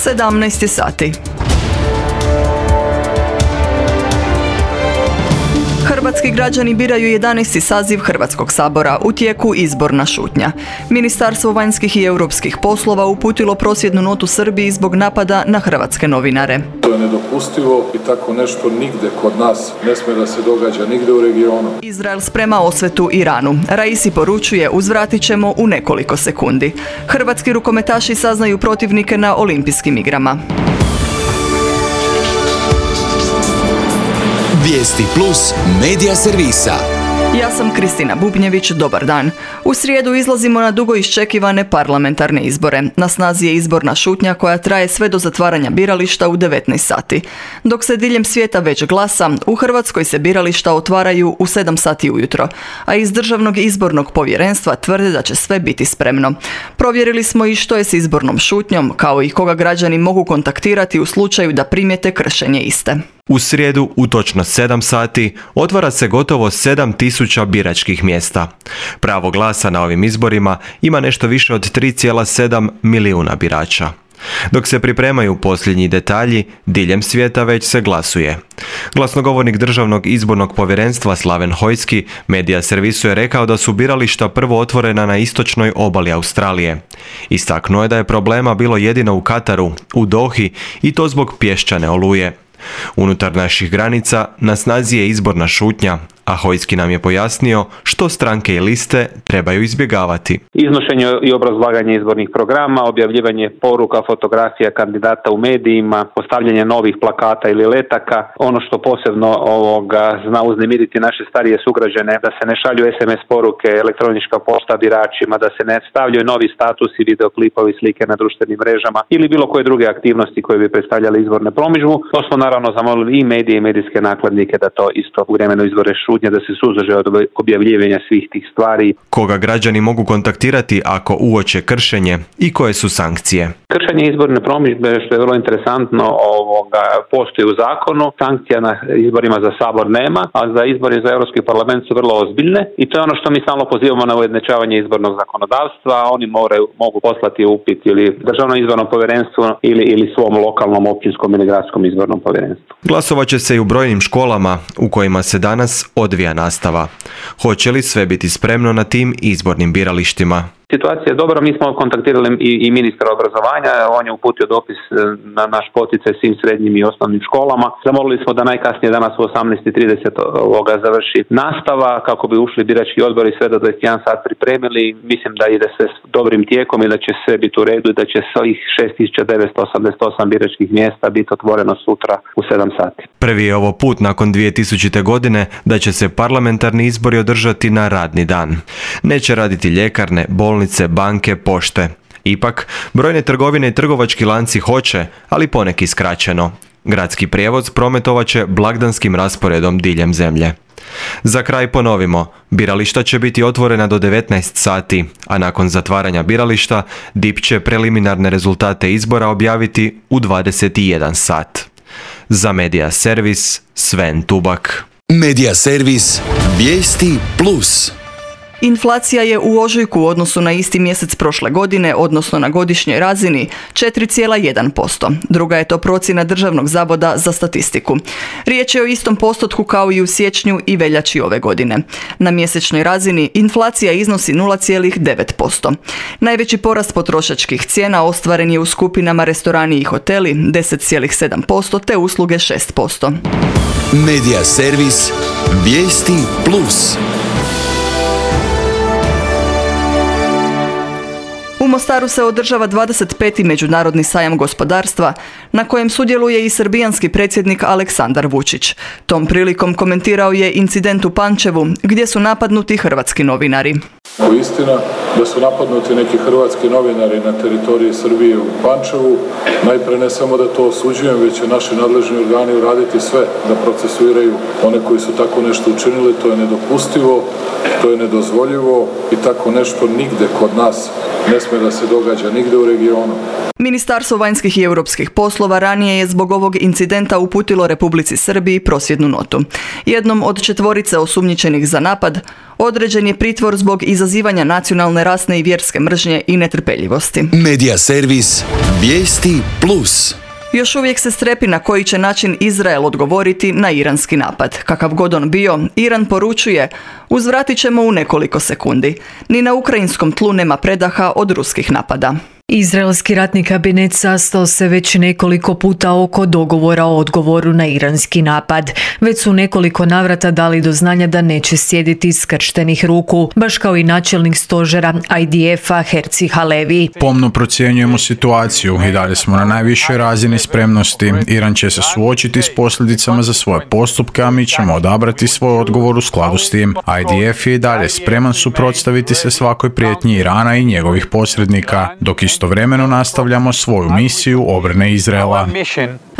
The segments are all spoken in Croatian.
17 sati. Hrvatski građani biraju 11. saziv Hrvatskog sabora, u tijeku izborna šutnja. Ministarstvo vanjskih i europskih poslova uputilo prosvjednu notu Srbiji zbog napada na hrvatske novinare. To je nedopustivo i tako nešto nigde kod nas ne smije da se događa, nigde u regionu. Izrael sprema osvetu Iranu. Raisi poručuje, uzvratit ćemo u nekoliko sekundi. Hrvatski rukometaši saznaju protivnike na olimpijskim igrama. Vijesti plus medija servisa. Ja sam Kristina Bubnjević, dobar dan. U srijedu izlazimo na dugo iščekivane parlamentarne izbore. Na snazi je izborna šutnja koja traje sve do zatvaranja birališta u 19 sati. Dok se diljem svijeta već glasa, u Hrvatskoj se birališta otvaraju u 7 sati ujutro, a iz Državnog izbornog povjerenstva tvrde da će sve biti spremno. Provjerili smo i što je s izbornom šutnjom, kao i koga građani mogu kontaktirati u slučaju da primijete kršenje iste. U srijedu u točno 7 sati otvara se gotovo 7.000 biračkih mjesta. Pravo glasa na ovim izborima ima nešto više od 3,7 milijuna birača. Dok se pripremaju posljednji detalji, diljem svijeta već se glasuje. Glasnogovornik Državnog izbornog povjerenstva Slaven Hojski medija servisu je rekao da su birališta prvo otvorena na istočnoj obali Australije. Istaknuo je da je problema bilo jedino u Kataru, u Dohi, i to zbog pješčane oluje. Unutar naših granica na snazi je izborna šutnja, a Hojski nam je pojasnio što stranke i liste trebaju izbjegavati. Iznošenje i obrazlaganje izbornih programa, objavljivanje poruka, fotografija kandidata u medijima, postavljanje novih plakata ili letaka. Ono što posebno zna uznemiriti naše starije sugrađane, da se ne šalju SMS poruke, elektronička pošta biračima, da se ne stavljaju novi statusi, videoklipovi, slike na društvenim mrežama ili bilo koje druge aktivnosti koje bi predstavljale izborne promidžbu. To smo naravno zamolili i medije i medijske nakladnike da to isto u vremenu izbore šutnje, da se suzdrže od objavljivanja svih tih stvari. Koga građani mogu kontaktirati ako uoče kršenje i koje su sankcije? Kršenje izborne promidžbe, što je vrlo interesantno, postoji u zakonu. Sankcija na izborima za Sabor nema, a za izbori za Europski parlament su vrlo ozbiljne i to je ono što mi stalno pozivamo na ujednačavanje izbornog zakonodavstva. Oni mogu poslati upit ili Državnom izbornom povjerenstvu ili svom lokalnom, općinskom ili gradskom izbornom povjerenstvu. Glasovat će se i u brojnim školama u kojima se danas odvija nastava. Hoće li sve biti spremno na tim izbornim biralištima? Situacija je dobra, mi smo kontaktirali i ministra obrazovanja, on je uputio dopis na naš poticaj svim srednjim i osnovnim školama. Zamolili smo da najkasnije danas u 18:30 završi nastava kako bi ušli birački odbor i sve do 21 sat pripremili. Mislim da ide se s dobrim tijekom i da će sve biti u redu i da će svih 6.988 biračkih mjesta biti otvoreno sutra u 7 sati. Prvi je ovo put nakon 2000. godine da će se parlamentarni izbori održati na radni dan. Neće raditi ljekarne, bolnice, banke, pošte. Ipak, brojne trgovine i trgovački lanci hoće, ali poneki skraćeno. Gradski prijevoz prometovat će blagdanskim rasporedom diljem zemlje. Za kraj ponovimo, birališta će biti otvorena do 19 sati, a nakon zatvaranja birališta DIP će preliminarne rezultate izbora objaviti u 21 sat. Za Medija servis, Sven Tubak. Medija servis, Vijesti plus. Inflacija je u ožujku u odnosu na isti mjesec prošle godine, odnosno na godišnjoj razini, 4,1%. Druga je to procjena Državnog zavoda za statistiku. Riječ je o istom postotku kao i u siječnju i veljači ove godine. Na mjesečnoj razini inflacija iznosi 0,9%. Najveći porast potrošačkih cijena ostvaren je u skupinama restorani i hoteli 10,7% te usluge 6%. Medija servis, Vijesti plus. U Mostaru se održava 25. Međunarodni sajam gospodarstva, na kojem sudjeluje i srbijanski predsjednik Aleksandar Vučić. Tom prilikom komentirao je incident u Pančevu, gdje su napadnuti hrvatski novinari. Istina da su napadnuti neki hrvatski novinari na teritoriji Srbije u Pančevu. Najprije ne samo da to osuđujem, već će naši nadležni organi uraditi sve da procesuiraju one koji su tako nešto učinili. To je nedopustivo, to je nedozvoljivo i tako nešto nigde kod nas ne sme da se događa nigde u regionu. Ministarstvo vanjskih i europskih poslova ranije je zbog ovog incidenta uputilo Republici Srbiji prosvjednu notu. Jednom od 4 osumnjičenih za napad određen je pritvor zbog izazivanja nacionalne, rasne i vjerske mržnje i netrpeljivosti. Medija servis Vijesti Plus. Još uvijek se strepi na koji će način Izrael odgovoriti na iranski napad. Kakav god on bio, Iran poručuje: uzvratit ćemo u nekoliko sekundi. Ni na ukrajinskom tlu nema predaha od ruskih napada. Izraelski ratni kabinet sastao se već nekoliko puta oko dogovora o odgovoru na iranski napad. Već su nekoliko navrata dali do znanja da neće sjediti skrštenih ruku, baš kao i načelnik stožera IDF-a Herzi Halevi. Pomno procjenjujemo situaciju i dalje smo na najvišoj razini spremnosti. Iran će se suočiti s posljedicama za svoje postupke, a mi ćemo odabrati svoj odgovor u skladu s tim. IDF je i dalje spreman suprotstaviti se svakoj prijetnji Irana i njegovih posrednika, dok istovremeno nastavljamo svoju misiju obrane Izraela.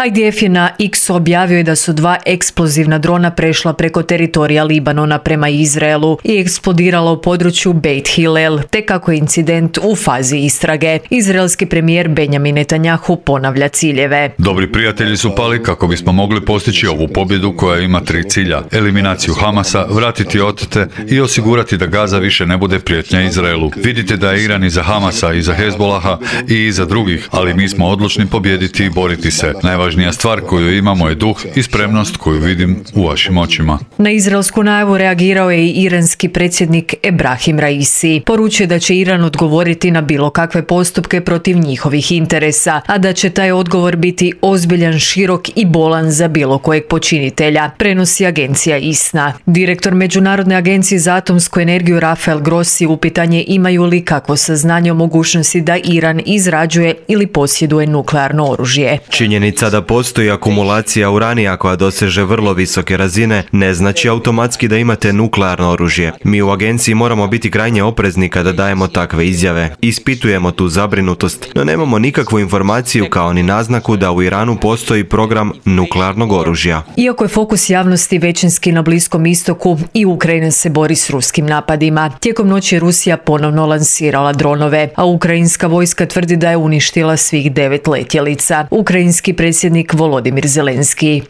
IDF je na X objavio da su 2 eksplozivna drona prešla preko teritorija Libanona prema Izraelu i eksplodirala u području Beit Hillel, te kako je incident u fazi istrage. Izraelski premijer Benjamin Netanjahu ponavlja ciljeve. Dobri prijatelji su pali kako bismo mogli postići ovu pobjedu koja ima 3 cilja: eliminaciju Hamasa, vratiti otete i osigurati da Gaza više ne bude prijetnja Izraelu. Vidite da je Iran iza Hamasa, iza Hezbolaha i iza drugih, ali mi smo odlučni pobijediti i boriti se. Najvažnija stvar koju imamo je duh i spremnost koju vidim u vašim očima. Na izraelsku najavu reagirao je i iranski predsjednik Ebrahim Raisi. Poručio da će Iran odgovoriti na bilo kakve postupke protiv njihovih interesa, a da će taj odgovor biti ozbiljan, širok i bolan za bilo kojeg počinitelja, prenosi agencija ISNA. Direktor Međunarodne agencije za atomsku energiju Rafael Grossi upitan je imaju li kakvo saznanje o mogućnosti da Iran izrađuje ili posjeduje nuklearno oružje. Činjenica da postoji akumulacija uranija koja doseže vrlo visoke razine ne znači automatski da imate nuklearno oružje. Mi u agenciji moramo biti krajnje oprezni kada dajemo takve izjave. Ispitujemo tu zabrinutost, no nemamo nikakvu informaciju kao ni naznaku da u Iranu postoji program nuklearnog oružja. Iako je fokus javnosti većinski na Bliskom istoku, i Ukrajina se bori s ruskim napadima. Tijekom noći je Rusija ponovno lansirala dronove, a ukrajinska vojska tvrdi da je uništila svih 9 letjelica. Ukrajinski predsjednik Volodimir Zelenski.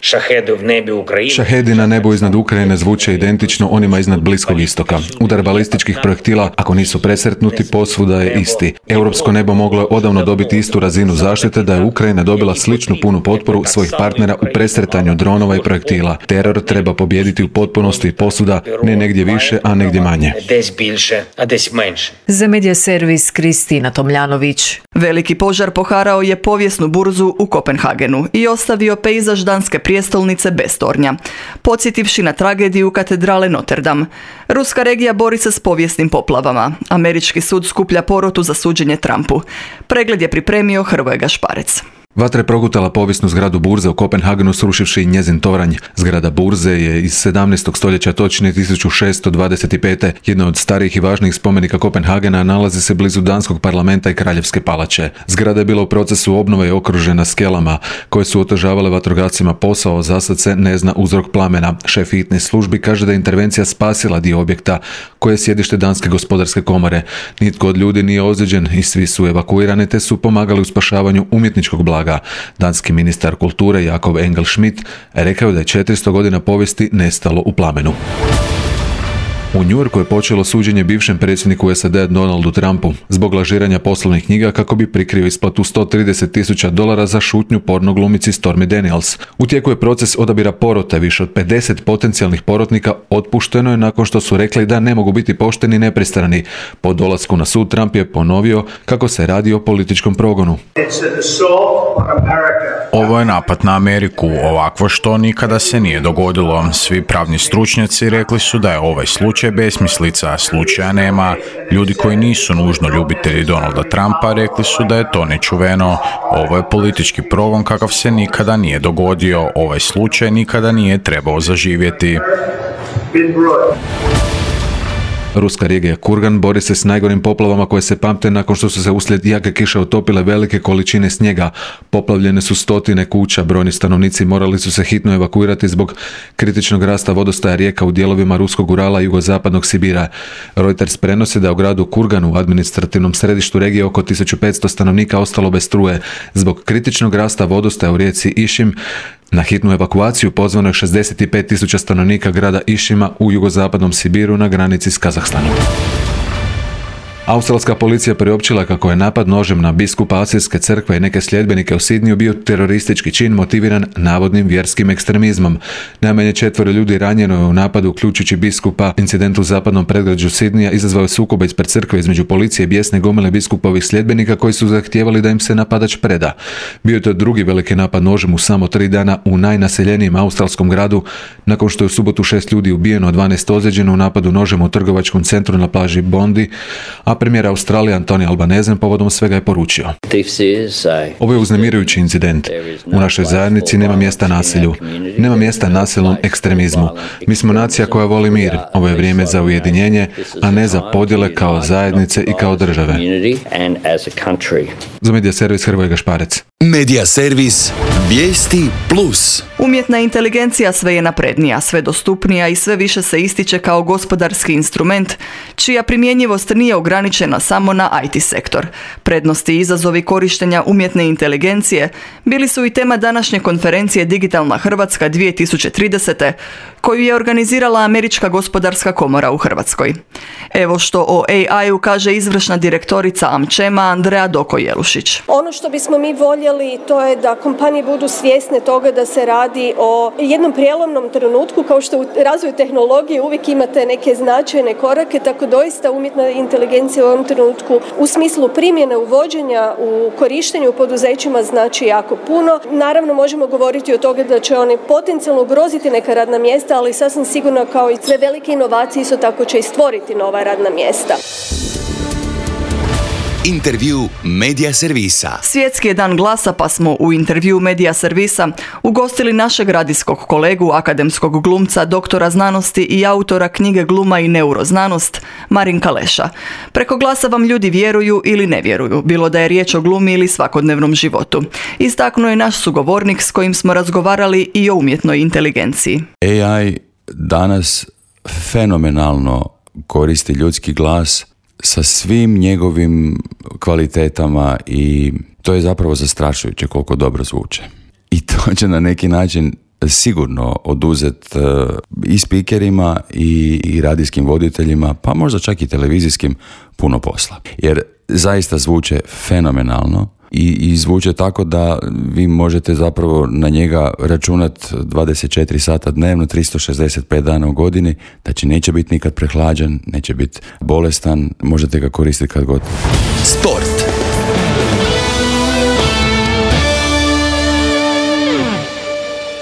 Šahedi na nebu iznad Ukrajine zvuče identično onima iznad Bliskog istoka. Udar balističkih projektila, ako nisu presretnuti, posvuda je isti. Europsko nebo moglo je odavno dobiti istu razinu zaštite da je Ukrajina dobila sličnu punu potporu svojih partnera u presretanju dronova i projektila. Teror treba pobijediti u potpunosti i posvuda, ne negdje više, a negdje manje. Za Medija servis Kristina Tomljanović. Veliki požar poharao je povijesnu burzu u Kopenhagenu i ostavio pejzaž danske prijestolnice bez tornja, podsjetivši na tragediju katedrale Notre Dame. Ruska regija bori se s povijesnim poplavama. Američki sud skuplja porotu za suđenje Trumpu. Pregled je pripremio Hrvoje Gašparec. Vatra je progutala povijesnu zgradu burze u Kopenhagenu, srušivši njezin toranj. Zgrada burze je iz 17. stoljeća, točnije 1625. Jedna od starijih i važnijih spomenika Kopenhagena, nalazi se blizu danskog parlamenta i kraljevske palače. Zgrada je bila u procesu obnove i okružena skelama koje su otežavale vatrogascima posao. Za sad se ne zna uzrok plamena. Šef hitnih službi kaže da je intervencija spasila dio objekta koje je sjedište Danske gospodarske komore. Nitko od ljudi nije ozlijeđen i svi su evakuirani te su pomagali u spašavanju umjetničkog blaga. Danski ministar kulture Jakob Engel-Schmidt rekao da je 400 godina povijesti nestalo u plamenu. U Njujorku je počelo suđenje bivšem predsjedniku SAD-a Donaldu Trumpu zbog lažiranja poslovnih knjiga kako bi prikrio isplatu $130,000 za šutnju porno glumici Stormy Daniels. U tijeku je proces odabira porote. Više od 50 potencijalnih porotnika otpušteno je nakon što su rekli da ne mogu biti pošteni i nepristrani. Po dolasku na sud Trump je ponovio kako se radi o političkom progonu. Ovo je napad na Ameriku, ovakvo što nikada se nije dogodilo. Svi pravni stručnjaci rekli su da je ovaj slučaj besmislica, slučaja nema. Ljudi koji nisu nužno ljubitelji Donalda Trumpa rekli su da je to nečuveno. Ovo je politički progon kakav se nikada nije dogodio. Ovaj slučaj nikada nije trebao zaživjeti. Ruska regija Kurgan bori se s najgorim poplavama koje se pamte nakon što su se uslijed jake kiše otopile velike količine snijega. Poplavljene su stotine kuća, brojni stanovnici morali su se hitno evakuirati zbog kritičnog rasta vodostaja rijeka u dijelovima Ruskog Urala i jugozapadnog Sibira. Reuters prenosi da u gradu Kurganu, u administrativnom središtu regije, oko 1500 stanovnika ostalo bez struje. Zbog kritičnog rasta vodostaja u rijeci Išim na hitnu evakuaciju pozvano je 65.000 stanovnika grada Išima u jugozapadnom Sibiru na granici s Kazahstanom. Australska policija priopćila kako je napad nožem na biskupa Asirske crkve i neke sljedbenike u Sidniju bio teroristički čin motiviran navodnim vjerskim ekstremizmom. Najmanje 4 ljudi ranjeno je u napadu, uključujući biskupa. Incident u zapadnom predgrađu Sidnija izazvao je sukobe ispred crkve između policije i bijesne gomile biskupovih sljedbenika koji su zahtijevali da im se napadač preda. Bio je to drugi veliki napad nožem u samo 3 dana u najnaseljenijem australskom gradu, nakon što je u subotu 6 ljudi ubijeno, a 12 ozlijeđeno u napadu nožem u trgovačkom centru na plaži Bondi, a premijer Australije Anthony Albanese povodom svega je poručio: ovo je uznemirujući incident. U našoj zajednici nema mjesta nasilju. Nema mjesta nasilnom ekstremizmu. Mi smo nacija koja voli mir. Ovo je vrijeme za ujedinjenje, a ne za podjele kao zajednice i kao države. Za Medija servis Hrvoje Gašparec. Medija servis Vijesti Plus. Umjetna inteligencija sve je naprednija, sve dostupnija i sve više se ističe kao gospodarski instrument, čija primjenjivost nije ograničena samo na IT sektor. Prednosti i izazovi korištenja umjetne inteligencije bili su i tema današnje konferencije Digitalna Hrvatska 2030. koju je organizirala Američka gospodarska komora u Hrvatskoj. Evo što o AI-u kaže izvršna direktorica AmChama Andrea Doko-Jelušić. Ono što bismo mi voljeli to je da kompanije budu svjesne toga da se radi o jednom prijelomnom trenutku, kao što u razvoju tehnologije uvijek imate neke značajne korake, tako doista umjetna inteligencija u ovom trenutku u smislu primjene uvođenja u korištenju u poduzećima znači jako puno. Naravno možemo govoriti o toga da će oni potencijalno ugroziti neka radna mjesta, ali sasvim sigurno kao i sve velike inovacije isto tako će i stvoriti nova radna mjesta. Intervju Medija servisa. Svjetski je dan glasa, pa smo u intervju Medija servisa ugostili našeg radijskog kolegu, akademskog glumca, doktora znanosti i autora knjige Gluma i neuroznanost, Marinka Leša. Preko glasa vam ljudi vjeruju ili ne vjeruju, bilo da je riječ o glumi ili svakodnevnom životu. Istaknuo je naš sugovornik s kojim smo razgovarali i o umjetnoj inteligenciji. AI danas fenomenalno koristi ljudski glas sa svim njegovim kvalitetama i to je zapravo zastrašujuće koliko dobro zvuče. I to će na neki način sigurno oduzeti i spikerima i radijskim voditeljima, pa možda čak i televizijskim puno posla. Jer zaista zvuče fenomenalno i zvuče tako da vi možete zapravo na njega računati 24 sata dnevno, 365 dana u godini, znači neće biti nikad prehlađen, neće biti bolestan, možete ga koristiti kad god. Sport.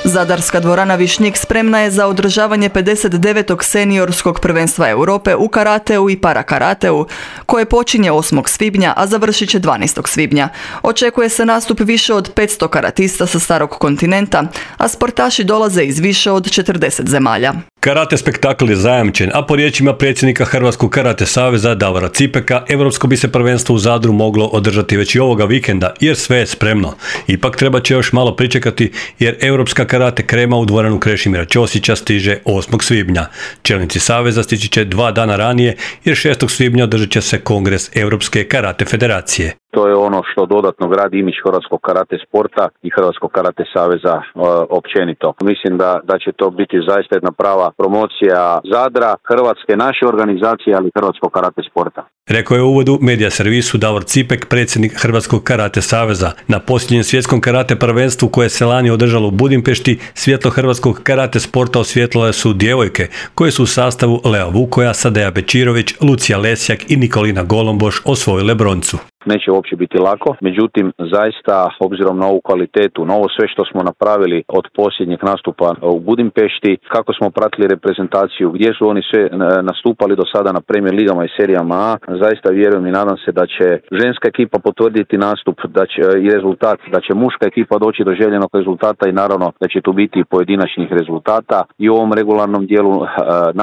Zadarska dvorana Višnjik spremna je za održavanje 59. seniorskog prvenstva Europe u karateu i parakarateu, koje počinje 8. svibnja, a završit će 12. svibnja. Očekuje se nastup više od 500 karatista sa starog kontinenta, a sportaši dolaze iz više od 40 zemalja. Karate spektakl je zajamčen, a po riječima predsjednika Hrvatskog karate saveza Davora Cipeka, europsko bi se prvenstvo u Zadru moglo održati već i ovoga vikenda, jer sve je spremno. Ipak treba će još malo pričekati, jer europska karate krema u dvoranu Krešimira Ćosića stiže 8. svibnja. Čelnici saveza stići će 2 dana ranije, jer 6. svibnja održat će se kongres Europske karate federacije. To je ono što dodatno gradi imidž hrvatskog karate sporta i Hrvatskog karate saveza općenito. Mislim da će to biti zaista jedna prava promocija Zadra, Hrvatske, naše organizacije, ali Hrvatskog karate sporta. Rekao je u uvodu Medija servisu Davor Cipek, predsjednik Hrvatskog karate saveza. Na posljednjem svjetskom karate prvenstvu koje se lani održalo u Budimpešti, svjetlo hrvatskog karate sporta osvijetlile su djevojke koje su u sastavu Lea Vukoja, Sadeja Bečirović, Lucija Lesjak i Nikolina Golomboš osvojile broncu. Neće uopće biti lako, međutim zaista obzirom na ovu kvalitetu, na ovo sve što smo napravili od posljednjeg nastupa u Budimpešti, kako smo pratili reprezentaciju, gdje su oni sve nastupali do sada na Premier ligama i serijama A, zaista vjerujem i nadam se da će ženska ekipa potvrditi nastup, da će i rezultat, da će muška ekipa doći do željenog rezultata i naravno da će tu biti i pojedinačnih rezultata i u ovom regularnom dijelu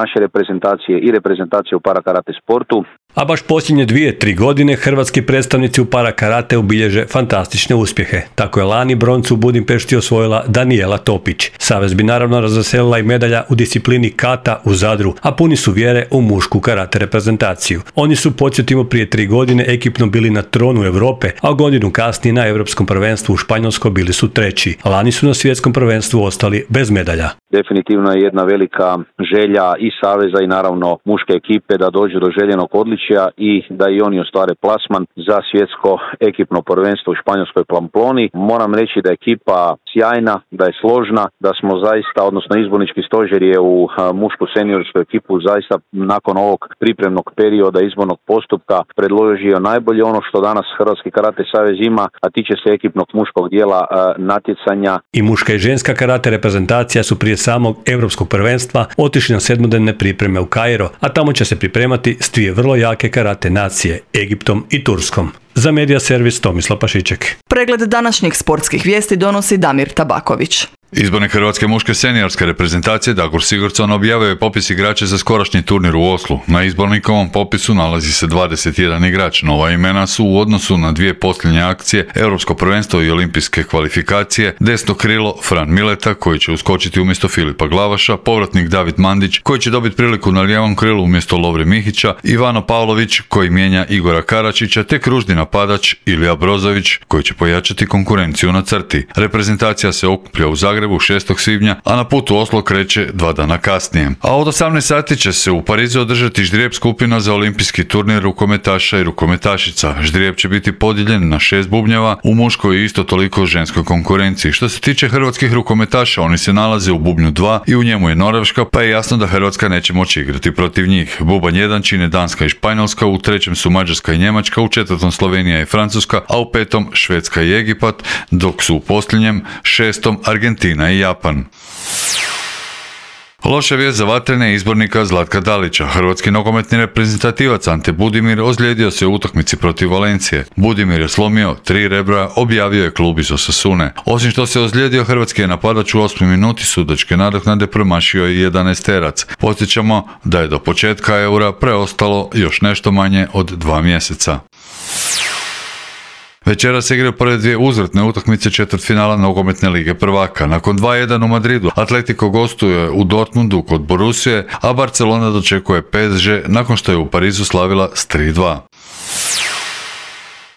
naše reprezentacije i reprezentacije u parakarate sportu. A baš posljednje 2-3 godine hrvatski predstavnici u parakarate obilježe fantastične uspjehe. Tako je lani broncu u Budimpešti osvojila Danijela Topić. Savez bi naravno razveselila i medalja u disciplini kata u Zadru, a puni su vjere u mušku karate reprezentaciju. Oni su, podsjetimo, prije 3 godine ekipno bili na tronu Europe, a godinu kasnije na Europskom prvenstvu u Španjolskoj bili su 3. Lani su na svjetskom prvenstvu ostali bez medalja. Definitivno je jedna velika želja i saveza i naravno muške ekipe da dođu do željenog odličja i da i oni ostvare plasman za svjetsko ekipno prvenstvo u Španjolskoj Pamploni. Moram reći da je ekipa sjajna, da je složna, da smo zaista, odnosno izbornički stožer je u mušku seniorsku ekipu zaista nakon ovog pripremnog perioda izbornog postupka predložio najbolje ono što danas Hrvatski karate savez ima, a tiče se ekipnog muškog dijela natjecanja. I muška i ženska karate reprezentacija su prije samog europskog prvenstva otišli na 7-dnevne pripreme u Kairo, a tamo će se pripremati s 2 vrlo jake karate nacije, Egiptom i Turskom. Za Medija servis Tomislav Pašiček. Pregled današnjih sportskih vijesti donosi Damir Tabaković. Izbornik hrvatske muške seniorske reprezentacije Dagur Sigurdsson objavio je popis igrača za skorašnji turnir u Oslu. Na izbornikovom popisu nalazi se 21 igrač. Nova imena su u odnosu na 2 posljednje akcije, Europsko prvenstvo i olimpijske kvalifikacije, desno krilo Fran Mileta koji će uskočiti umjesto Filipa Glavaša, povratnik David Mandić koji će dobiti priliku na lijevom krilu umjesto Lovre Mihića, Ivano Pavlović koji mijenja Igora Karačića te kružni napadač Ilija Brozović koji će pojačati konkurenciju na crti. Reprezentacija se okuplja u Zagrebu 6. svibnja, a na putu Oslo kreće 2 dana kasnije. A od 18 sati će se u Parizu održati ždrijeb skupina za olimpijski turnir rukometaša i rukometašica. Ždrijeb će biti podijeljen na 6 bubnjeva u muškoj i isto toliko ženskoj konkurenciji. Što se tiče hrvatskih rukometaša, oni se nalaze u bubnju 2 i u njemu je Norveška, pa je jasno da Hrvatska neće moći igrati protiv njih. Bubanj 1 čine Danska i Španjolska, u 3. su Mađarska i Njemačka, u 4. Slovenija i Francuska, a u 5. Švedska i Egipat, dok su u posljednjem 6. Argentina i Japan. Loša vijest za vatrene izbornika Zlatka Dalića. Hrvatski nogometni reprezentativac Ante Budimir ozlijedio se u utakmici protiv Valencije. Budimir je slomio 3 rebra, objavio je klub iz Osasune. Osim što se ozlijedio, hrvatski je napadač u 8. minuti sudačke nadoknade promašio i 11-terac. Podsjećamo da je do početka Eura preostalo još nešto manje od 2 mjeseca. Večera se igraju prve 2 uzvratne utakmice četvrtfinala nogometne lige prvaka. Nakon 2-1 u Madridu, Atletico gostuje u Dortmundu kod Borussije, a Barcelona dočekuje PSG nakon što je u Parizu slavila s 3-2.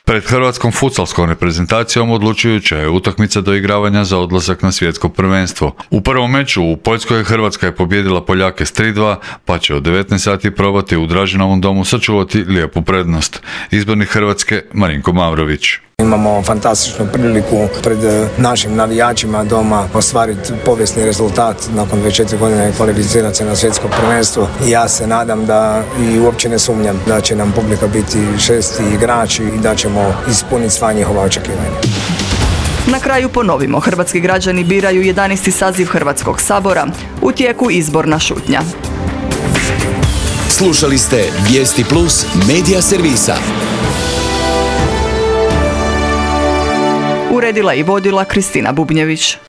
Pred hrvatskom futsalskom reprezentacijom odlučujuća je utakmica do igravanja za odlazak na svjetsko prvenstvo. U prvom meču u Poljskoj Hrvatska je pobijedila Poljake s 3-2, pa će od 19 sati probati u Dražinovom domu sačuvati lijepu prednost. Izbornik Hrvatske Marinko Mavrović. Imamo fantastičnu priliku pred našim navijačima doma ostvariti povijesni rezultat nakon 24 godine kvalificirati se na svjetsko prvenstvo. I ja se nadam da i uopće ne sumnjam da će nam publika biti 6. igrači i da ćemo ispuniti sva njihova očekivanja. Na kraju ponovimo, hrvatski građani biraju 11. saziv Hrvatskog sabora, u tijeku izborna šutnja. Slušali ste Vijesti Plus Medija servisa. Uredila i vodila Kristina Bubnjević.